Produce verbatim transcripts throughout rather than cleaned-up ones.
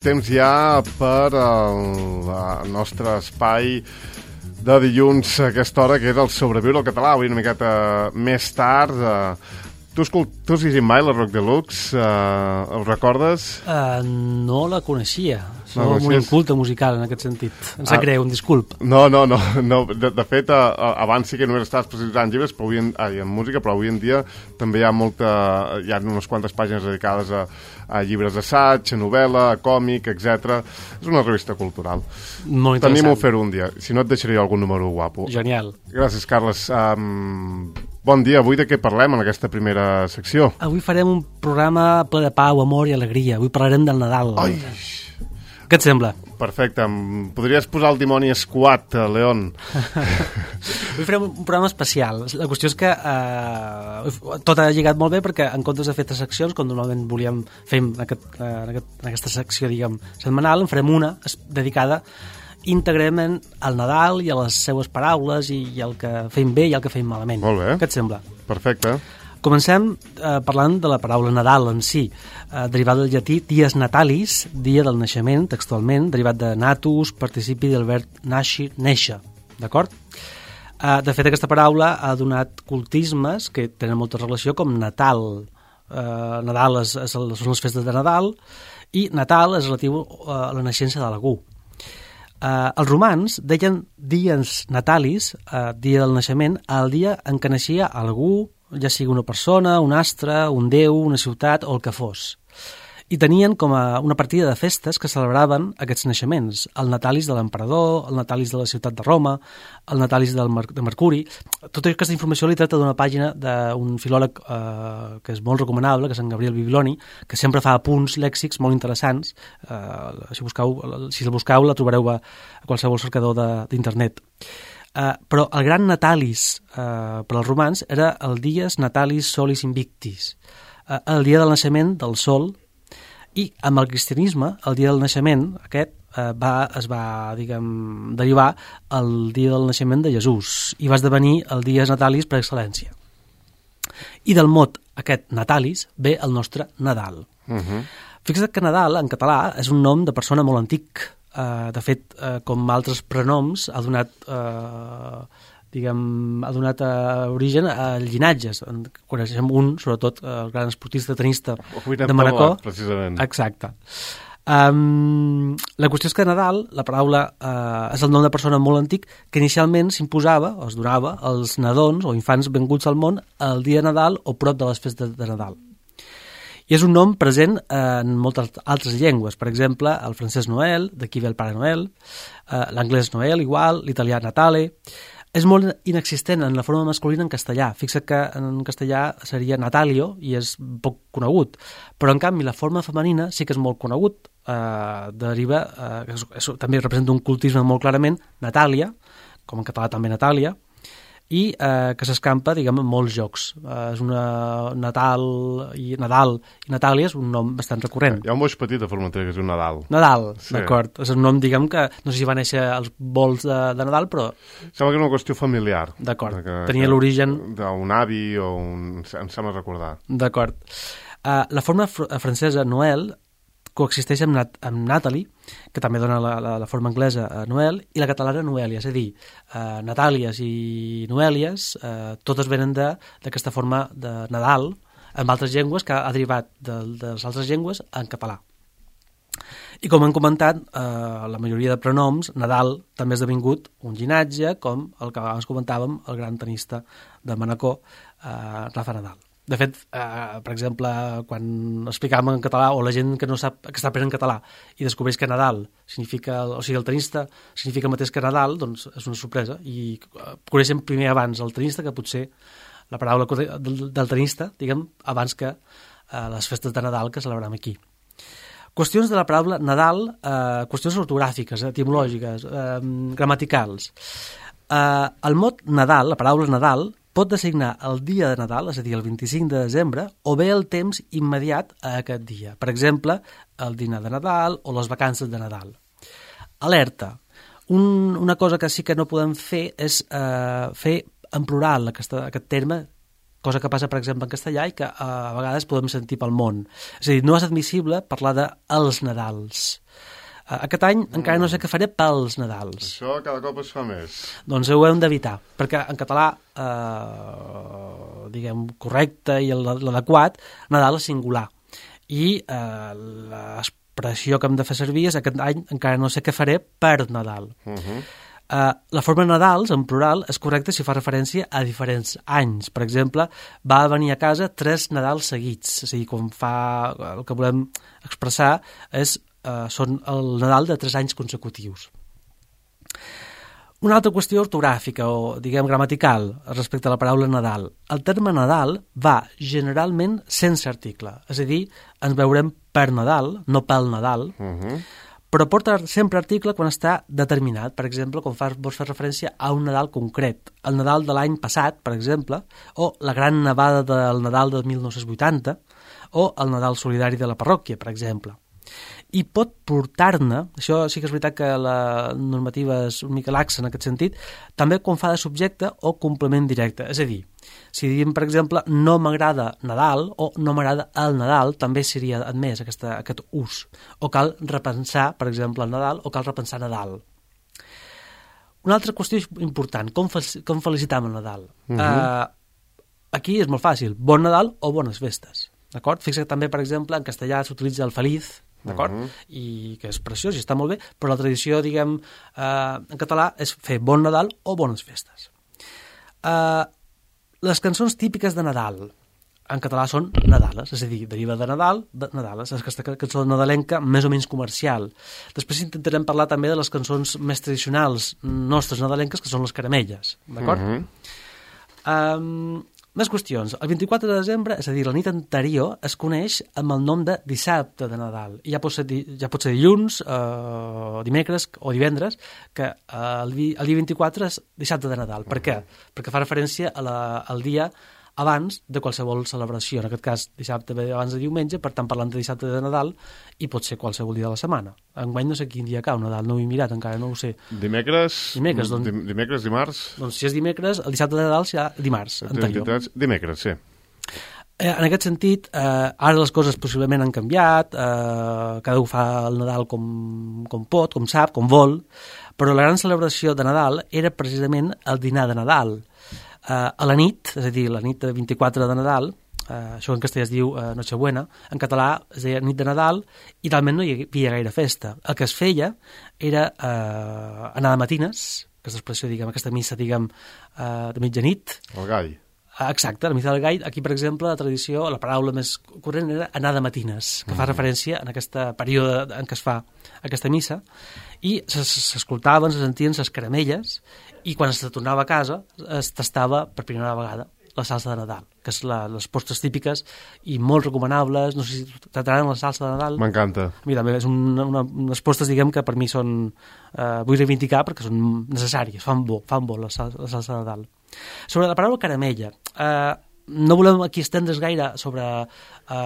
Temps ja per al nostre espai de dilluns a aquesta hora, que és el Sobreviure al català, avui una miqueta més tard. Eh, tu, escolt, tu has llegit mai la Rock Deluxe? Eh, ho recordes? Uh, no la coneixia. Som No, un inculte musical en aquest sentit. Em sap Ah. greu, un disculp. No, no, no. no. De, de fet, a, a, abans sí que només estaves especialitzat en llibres, però avui en, ai, en música, però avui en dia també hi ha molta, hi ha unes quantes pàgines dedicades a, a llibres d'assaig, a novel·la, a còmic, etcètera. És una revista cultural. Molt Tenim-ho interessant. fer un dia. Si no, et deixaré jo algun número guapo. Genial. Gràcies, Carles. Um, bon dia. Avui de què parlem en aquesta primera secció? Avui farem un programa ple de pau, amor i alegria. Avui parlarem del Nadal. Ai! Què et sembla? Perfecte. Em podries posar el dimoni escuat, León? Avui farem un programa especial. La qüestió és que eh, tot ha lligat molt bé perquè en comptes de fer tres seccions, com normalment volíem fer en, aquest, en, aquest, en aquesta secció, diguem, setmanal, en farem una dedicada íntegrament al Nadal i a les seues paraules i, i el que fem bé i el que fem malament. Molt bé. Què et sembla? Perfecte. Comencem eh, parlant de la paraula Nadal en si, eh, derivat del llatí dies natalis, dia del naixement, textualment, derivat de natus, participi del verb nasci, néixer, d'acord? Eh, de fet, aquesta paraula ha donat cultismes que tenen molta relació com Natal. Eh, Nadal és, és el, són les festes de Nadal i Natal és relatiu a la naixença de l'algú. Eh, els romans deien dies natalis, eh, dia del naixement, al dia en què naixia algú, ja sigui una persona, un astre, un déu, una ciutat o el que fos. I tenien com a una partida de festes que celebraven aquests naixements. El natalis de l'emperador, el natalis de la ciutat de Roma, el natalis del Mer de Mercuri. Tota aquesta informació li tracta d'una pàgina d'un filòleg eh, que és molt recomanable, que és en Gabriel Bibiloni, que sempre fa apunts lèxics molt interessants. Eh, si, busqueu, si el busqueu la trobareu a qualsevol cercador d'internet. Uh, però el gran natalis uh, per als romans era el dies natalis solis invictis, uh, el dia del naixement del sol, i amb el cristianisme el dia del naixement aquest uh, va, es va, diguem, derivar el dia del naixement de Jesús i va esdevenir el dies natalis per excel·lència. I del mot aquest natalis ve el nostre Nadal. Uh-huh. Fixa't que Nadal en català és un nom de persona molt antic. Uh, de fet, uh, com altres prenoms, ha donat, uh, diguem, ha donat uh, origen a llinatges. En coneixem un, sobretot, uh, el gran esportista tenista de Manacor. Precisament. Exacte. Um, la qüestió és que Nadal, la paraula, uh, és el nom de persona molt antic que inicialment s'imposava, o es donava, als nadons o infants venguts al món el dia de Nadal o prop de les festes de Nadal. I és un nom present en moltes altres llengües. Per exemple, el francès Noel, d'aquí ve el Pare Noel, eh, l'anglès Noel igual, l'italià Natale. És molt inexistent en la forma masculina en castellà. Fixa't que en castellà seria Natalio i és poc conegut. Però, en canvi, la forma femenina sí que és molt conegut. Eh, deriva, eh, és, és, també representa un cultisme molt clarament, Natàlia, com en català també Natàlia, i eh, que s'escampa, diguem, en molts jocs. Eh, és una Natal i Nadal i Natàlia és un nom bastant recurrent. Hi ha un boix petit de Formentera que és un Nadal. Nadal, sí. D'acord. És un nom, diguem, que no sé si va néixer als vols de, de Nadal, però... Sembla que és una qüestió familiar. D'acord. Tenia l'origen... D'un avi o un... Em sembla recordar. D'acord. Uh, la forma fr francesa Noel coexisteix amb, Nat amb Natalie, que també dona la, la, la forma anglesa a Noel, i la catalana Noèlia, és a dir, eh, Natàlies i Noèlies, eh, totes venen d'aquesta de, forma de Nadal, amb altres llengües, que ha derivat de, de les altres llengües en català. I com hem comentat, eh, la majoria de prenoms, Nadal també ha esdevingut un llinatge, com el que abans comentàvem, el gran tenista de Manacor, eh, Rafa Nadal. De fet, eh, per exemple, quan explicàvem en català, o la gent que no sap que està aprenent català i descobreix que Nadal significa, o sigui, el tenista significa el mateix que Nadal, doncs és una sorpresa. I coneixem primer abans el tenista que potser la paraula del, del tenista, diguem, abans que eh, les festes de Nadal que celebrem aquí. Qüestions de la paraula Nadal, eh, qüestions ortogràfiques, etimològiques, eh, gramaticals. Eh, el mot Nadal, la paraula Nadal, pot designar el dia de Nadal, és a dir, el vint-i-cinc de desembre, o bé el temps immediat a aquest dia. Per exemple, el dinar de Nadal o les vacances de Nadal. Alerta. Un, una cosa que sí que no podem fer és eh, fer en plural aquesta, aquest terme cosa que passa, per exemple, en castellà i que uh, a vegades podem sentir pel món. És a dir, no és admissible parlar de els Nadals. Uh, aquest any mm. encara no sé què faré pels Nadals. Això cada cop es fa més. doncs ho hem d'evitar, perquè en català, uh, diguem, correcte i l'adequat, Nadal és singular. I uh, l'expressió que hem de fer servir és aquest any encara no sé què faré per Nadal. Uh-huh. Uh, la forma Nadals, en plural, és correcta si fa referència a diferents anys. Per exemple, va venir a casa tres Nadals seguits. És a dir, quan fa... el que volem expressar és, uh, són el Nadal de tres anys consecutius. Una altra qüestió ortogràfica o, diguem, gramatical respecte a la paraula Nadal. El terme Nadal va generalment sense article. És a dir, ens veurem per Nadal, no pel Nadal, uh-huh. però porta sempre article quan està determinat. Per exemple, quan fas, vols fer referència a un Nadal concret. El Nadal de l'any passat, per exemple, o la gran nevada del Nadal de mil nou-cents vuitanta, o el Nadal solidari de la parròquia, per exemple. I pot portar-ne, això sí que és veritat que la normativa és una mica laxa en aquest sentit, també quan fa de subjecte o complement directe. És a dir, si diem, per exemple, no m'agrada Nadal o no m'agrada el Nadal, també seria admès aquesta, aquest ús. O cal repensar, per exemple, el Nadal, o cal repensar Nadal. Una altra qüestió important, com, fe- com felicitam el Nadal? Uh-huh. Uh, aquí és molt fàcil, bon Nadal o bones festes. D'acord? Fixa't també, per exemple, en castellà s'utilitza el feliz, d'acord? Uh-huh. I que és preciós i està molt bé, però la tradició, diguem, eh, en català és fer bon Nadal o bones festes. Eh, les cançons típiques de Nadal en català són Nadales, és a dir, deriva de Nadal, de Nadales, és aquesta cançó nadalenca més o menys comercial. Després intentarem parlar també de les cançons més tradicionals nostres nadalenques, que són les caramelles, d'acord? Uh-huh. Um, Més qüestions. El vint-i-quatre de desembre, és a dir, la nit anterior, es coneix amb el nom de dissabte de Nadal. I ja pot ser, ja pot ser dilluns, eh, dimecres o divendres, que eh, el, el dia vint-i-quatre és dissabte de Nadal. Per què? Perquè fa referència a la, al dia abans de qualsevol celebració. En aquest cas, dissabte ve abans de diumenge, per tant, parlant de dissabte de Nadal, i pot ser qualsevol dia de la setmana. Enguany no sé quin dia cau Nadal, no ho he mirat encara, no ho sé. Dimecres? Dimecres, doncs, dimecres, dimarts? Doncs si és dimecres, el dissabte de Nadal serà dimarts anterior. Dimecres, sí. Eh, en aquest sentit, eh, ara les coses possiblement han canviat, eh, cada un fa el Nadal com, com pot, com sap, com vol, però la gran celebració de Nadal era precisament el dinar de Nadal. Eh, a la nit, és a dir, la nit de vint-i-quatre de Nadal, eh, això en castellà es diu eh, Nochebuena, en català es deia nit de Nadal, i talment no hi havia gaire festa. El que es feia era eh, anar de matines, aquesta expressió, diguem, aquesta missa, diguem, eh, de mitjanit. El gall. Exacte, la missa del gall. Aquí, per exemple, la tradició, la paraula més corrent era anar de matines, que fa referència en aquest període en què es fa aquesta missa, i s'escoltaven, se sentien les caramelles, i quan es tornava a casa es tastava per primera vegada la salsa de Nadal, que és la, les postres típiques i molt recomanables. No sé si t'agraden la salsa de Nadal. M'encanta. A mi també, és una, una, unes postres, diguem, que per mi són, eh, vull reivindicar perquè són necessàries, fan bo, fan bo la, sal, la salsa de Nadal. Sobre la paraula caramella, eh, no volem aquí estendre's gaire sobre eh,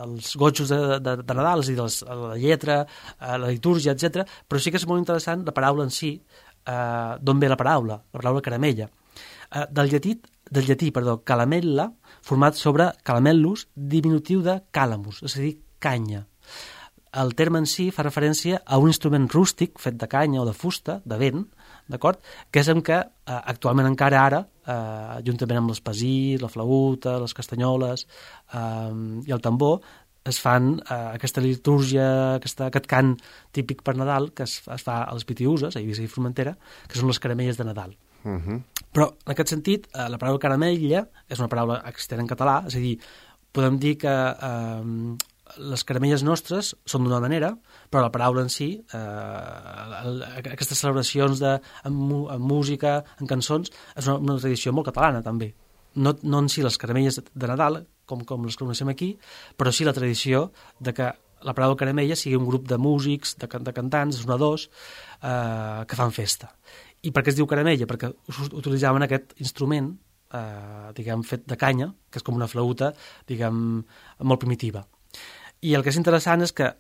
els gotxos de, de, de Nadal, és a dir, les, la lletra, eh, la litúrgia, etcètera, però sí que és molt interessant la paraula en si, eh, d'on ve la paraula, la paraula caramella. Eh, del llatí, del llatí, perdó, calamella, format sobre calamellus, diminutiu de calamus, és a dir, canya. El terme en si fa referència a un instrument rústic fet de canya o de fusta, de vent, d'acord? Que és en què eh, actualment encara ara, eh, juntament amb l'espasir, la flauta, les castanyoles eh, i el tambor, es fan eh, aquesta litúrgia, aquesta, aquest cant típic per Nadal que es, es fa a les Pitiüses, a Eivissa i Formentera, que són les caramelles de Nadal. Uh-huh. Però, en aquest sentit, eh, la paraula caramella és una paraula existent en català, és a dir, podem dir que eh, les caramelles nostres són d'una manera, però la paraula en si, eh, aquestes celebracions de, en, en música, en cançons, és una, una tradició molt catalana també. No, no en si les caramelles de Nadal, com, com les coneixem aquí, però sí la tradició de que la paraula caramella sigui un grup de músics, de, de cantants, de sonadors, eh, que fan festa. I per què es diu caramella? Perquè utilitzaven aquest instrument, eh, diguem, fet de canya, que és com una flauta, diguem, molt primitiva. I el que és interessant és que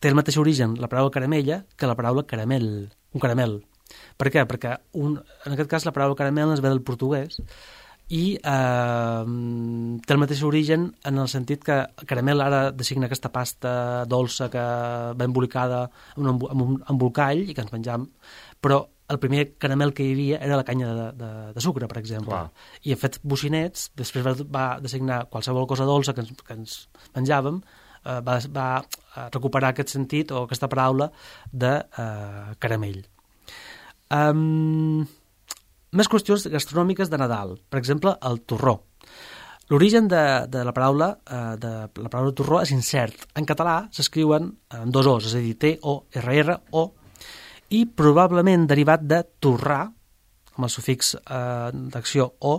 té el mateix origen la paraula caramella que la paraula caramel, un caramel. Per què? Perquè un, en aquest cas la paraula caramel es ve del portuguès i eh, té el mateix origen en el sentit que el caramel ara designa aquesta pasta dolça que va embolicada en un, en un embolcall i que ens menjam, però el primer caramel que hi havia era la canya de, de, de sucre, per exemple. Clar. I fet bocinets, després va, va designar qualsevol cosa dolça que ens, que ens menjàvem, eh, va, va recuperar aquest sentit o aquesta paraula de eh, caramell. Um, més qüestions gastronòmiques de Nadal. Per exemple, el torró. L'origen de, de la paraula eh, de la paraula torró és incert. En català s'escriuen en dos O's, és a dir, T O R R O, i probablement derivat de torrar, amb el sufix eh, d'acció o,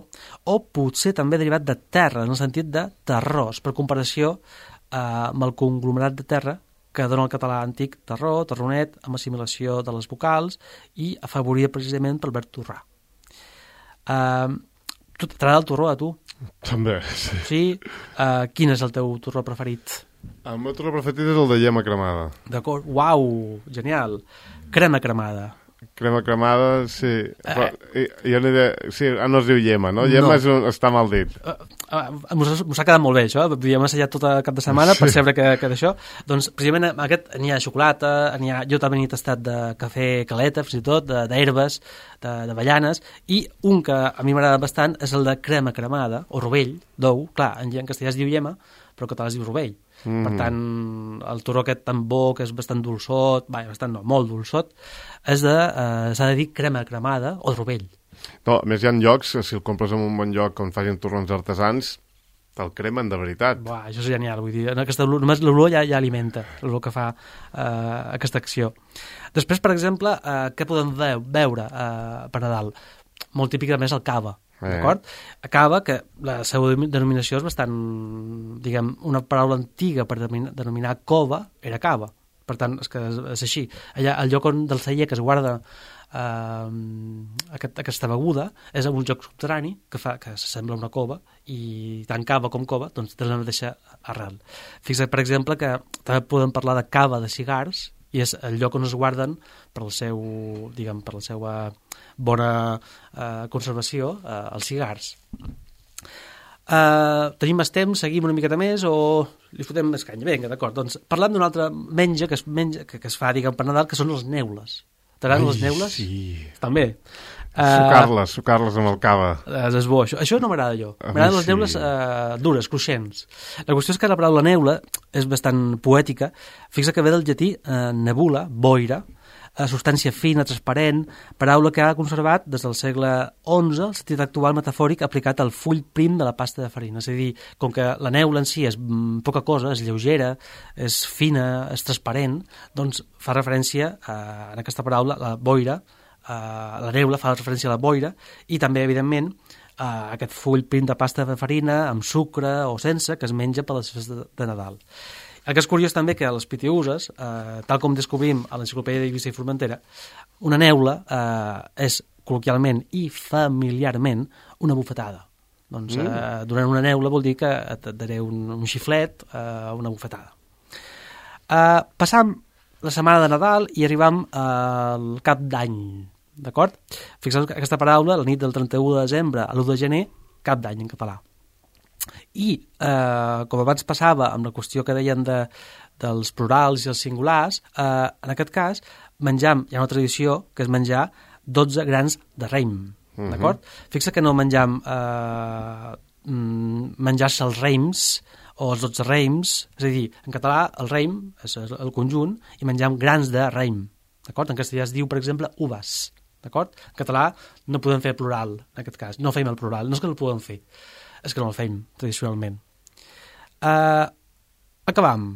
o potser també derivat de terra, en el sentit de terrós, per comparació eh, amb el conglomerat de terra que dona el català antic terró, terronet, amb assimilació de les vocals i afavoria precisament pel verb torrar. Eh, T'agrada el torró, a tu? També, sí. Sí? Eh, quin és el teu torró preferit? El meu torró preferit és el de llema cremada. D'acord, uau, genial. Crema cremada. Crema cremada, sí. Eh. Però, jo no de... sí, no es diu llema, no? Llema no. És un... està mal dit. Uh, uh, M'ho ha quedat molt bé, això. Havíem assajat tot el cap de setmana per saber que, que d'això. Doncs, precisament, aquest n'hi ha de xocolata, n'hi ha... jo també n'he tastat de cafè caleta, fins i tot, d'herbes, de, de avellanes, i un que a mi m'agrada bastant és el de crema cremada, o rovell, d'ou. Clar, en, en castellà es diu llema, però en català es diu rovell. Mm. Per tant, el torró aquest tan bo, que és bastant dolçot, vai, bastant no, molt dolçot, és de, eh, s'ha de dir crema cremada o rovell. No, a més hi ha llocs, si el compres en un bon lloc on facin torrons artesans, te'l cremen de veritat. Buah, això és genial, vull dir, aquesta, només l'olor ja, ja alimenta l'olor que fa eh, aquesta acció. Després, per exemple, eh, què podem veure eh, per Nadal? Molt típic, a més, el cava. D'acord? Cava, que la seva denominació és bastant, diguem, una paraula antiga per denominar, denominar cova, era cava. Per tant, és que és, és així. Allà, el lloc on del celler que es guarda eh, aquest, aquesta beguda és un lloc subterrani que fa que s'assembla a una cova i tant cava com cova, doncs té la mateixa arrel. Fixa't, per exemple, que també podem parlar de cava de cigars i és el lloc on es guarden per el seu, diguem, per la seva bona eh, conservació eh, els cigars. Eh, tenim més temps, seguim una miqueta més o li fotem més canya? Vinga, d'acord, doncs parlem d'un altre menja que es, menja, que, que es fa, diguem, per Nadal, que són les neules. T'agraden les neules? Sí. També. Sucar-les, sucar-les amb el cava. És, és bo, això, això no m'agrada jo. M'agraden les neules eh, dures, cruixents. La qüestió és que la paraula neula és bastant poètica. Fixa que ve del llatí eh, nebula, boira, eh, substància fina, transparent, paraula que ha conservat des del segle onze el sentit actual metafòric aplicat al full prim de la pasta de farina. És a dir, com que la neula en si és mm, poca cosa, és lleugera, és fina, és transparent, doncs fa referència a, en aquesta paraula, la boira. Uh, la neula fa referència a la boira i també, evidentment, uh, aquest full prim de pasta de farina amb sucre o sense que es menja per les festes de, de Nadal. El que és curiós també que a les pitiuses, uh, tal com descobrim a l'Enciclopèdia d'Eivissa i Formentera, una neula uh, és col·loquialment i familiarment una bufetada. Doncs uh, mm. donant una neula vol dir que et daré un, un xiflet, uh, una bufetada. Uh, passam la setmana de Nadal i arribam al cap d'any, d'acord? Fixeu que aquesta paraula, la nit del trenta-u de desembre a l'u de gener, cap d'any en català. I, eh, com abans passava amb la qüestió que deien de, dels plurals i els singulars, eh, en aquest cas menjam, hi ha una tradició que és menjar dotze grans de raïm, uh-huh. d'acord? Fixa que no menjam eh, menjar-se els raïms o els dotze raïms, és a dir, en català el raïm és el conjunt i menjam grans de raïm, d'acord? En castellà es diu, per exemple, uvas, d'acord? En català no podem fer plural, en aquest cas, no fem el plural, no és que no el podem fer, és que no el fem, tradicionalment. Uh, acabam,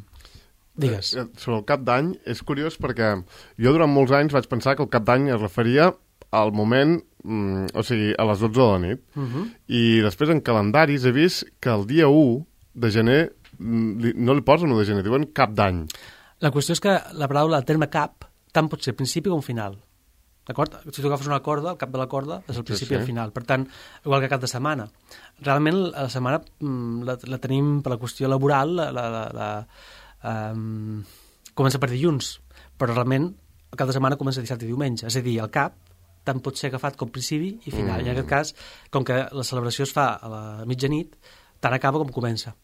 digues. Eh, sobre el cap d'any, és curiós perquè jo durant molts anys vaig pensar que el cap d'any es referia al moment, mm, o sigui, a les dotze de la nit, uh-huh. i després en calendaris he vist que el dia u de gener no li posen u de gener, diuen cap d'any. La qüestió és que la paraula, el terme cap, tant pot ser principi com final. D'acord? Si tu agafes una corda, el cap de la corda és el principi sí, sí. i el final. Per tant, igual que cap de setmana. Realment, la setmana la, la tenim per la qüestió laboral, la, la, la, la, um, comença per dilluns, però realment el cap de setmana comença dissabte i diumenge. És a dir, el cap tant pot ser agafat com principi i final. Mm. I en aquest cas, com que la celebració es fa a la mitjanit, tant acaba com comença.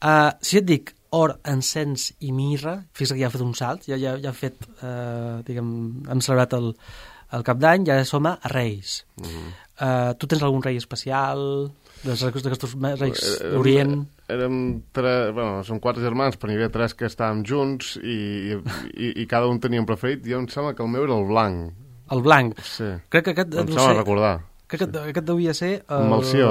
Uh, si et dic or, encens i mirra, fixa't que ja ha fet un salt, ja, ja, ja ha fet, uh, diguem, hem celebrat el, el cap d'any, ja som a Reis. Mm. Uh, tu tens algun rei especial, d'aquests reis d'Orient? Érem tres, bueno, són quatre germans, però n'hi havia tres que estàvem junts i, i, i cada un tenia un preferit. Jo em sembla que el meu era el blanc. El blanc? Sí. Crec que aquest em sembla ser, recordar. Crec que aquest devia ser... El... Melció.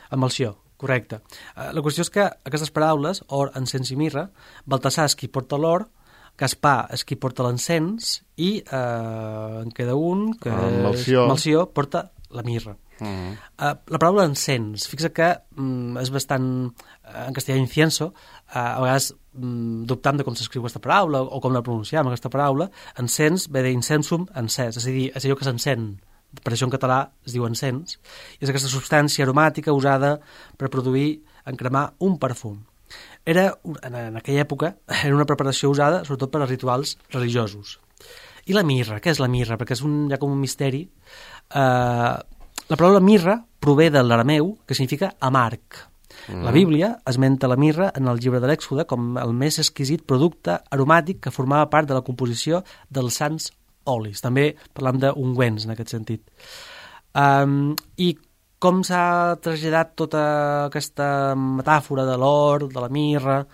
El Melció, correcte. Uh, la qüestió és que aquestes paraules, or, encens i mirra, Baltasar és qui porta l'or, Gaspar és qui porta l'encens i eh, en queda un, que el Melció. És, Melció porta la mirra. Uh -huh. uh, la paraula encens, fixa que um, és bastant, uh, en castellà incienso, uh, a vegades um, dubtam de com s'escriu aquesta paraula o com la pronunciam aquesta paraula. Encens ve d'incensum encès, és a dir, és allò que s'encén, per això en català es diu encens, i és aquesta substància aromàtica usada per produir, encremar un perfum. Era, en aquella època, era una preparació usada sobretot per a rituals religiosos. I la mirra, què és la mirra? Perquè és un, ja com un misteri. Uh, la paraula mirra prové de l'arameu, que significa amarg. Mm. La Bíblia esmenta la mirra en el llibre de l'Èxode com el més exquisit producte aromàtic que formava part de la composició dels sants olis. També parlam d'ungüents en aquest sentit. Um, I com s'ha traslladat tota aquesta metàfora de l'or, de la mirra,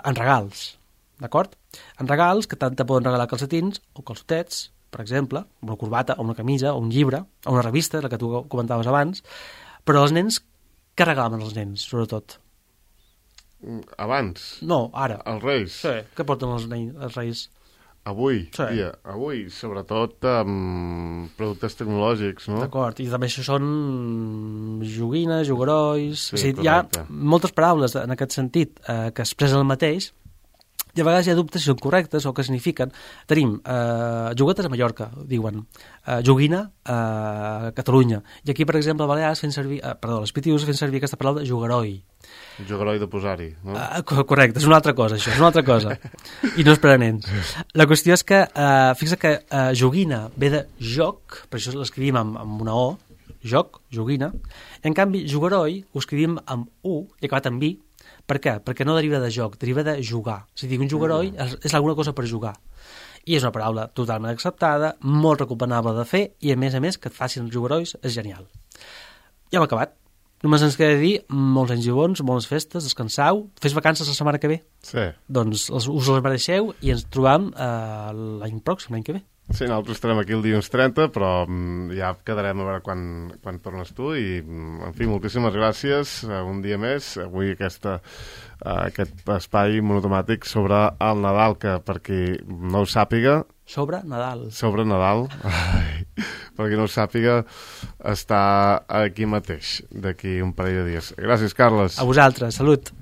en regals, d'acord? En regals que tant te poden regalar calcetins o calçotets, per exemple, una corbata o una camisa o un llibre o una revista, la que tu comentaves abans, però els nens, què regalaven els nens, sobretot? Abans? No, ara. Els reis? Sí, què porten els, nens, els reis? Avui, sí. dia, avui, sobretot amb productes tecnològics, no? D'acord, i també això són joguines, joguerois... Sí, o sigui, hi ha moltes paraules en aquest sentit eh, que expressen el mateix, i a vegades hi ha dubtes si són correctes o què signifiquen. Tenim eh, juguetes a Mallorca, diuen, eh, joguina a Catalunya, i aquí, per exemple, a Balears fent servir, eh, perdó, a les Pitius fent servir aquesta paraula jogueroi. Jogueroi de posar-hi, no? Uh, correcte, és una altra cosa, això, és una altra cosa. I no és per a nens. La qüestió és que, uh, fixa que uh, joguina ve de joc, per això l'escrivim amb, amb una O, joc, joguina, i en canvi jogueroi ho escrivim amb U i acabat amb I. Per què? Perquè no deriva de joc, deriva de jugar. És a dir, un jogueroi és, és alguna cosa per jugar. I és una paraula totalment acceptada, molt recomanable de fer, i a més a més que et facin els joguerois és genial. Ja hem acabat. Només ens queda dir molts anys i bons, bones festes, descansau, fes vacances la setmana que ve. Sí. Doncs us les mereixeu i ens trobam eh, l'any pròxim, l'any que ve. Sí, nosaltres estarem aquí el dilluns trenta, però mm, ja quedarem a veure quan, quan tornes tu i, en fi, moltíssimes gràcies uh, un dia més, avui aquesta, uh, aquest espai monotemàtic sobre el Nadal, que per qui no ho sàpiga... Sobre Nadal. Sobre Nadal, ai, per qui no ho sàpiga, està aquí mateix, d'aquí un parell de dies. Gràcies, Carles. A vosaltres, salut.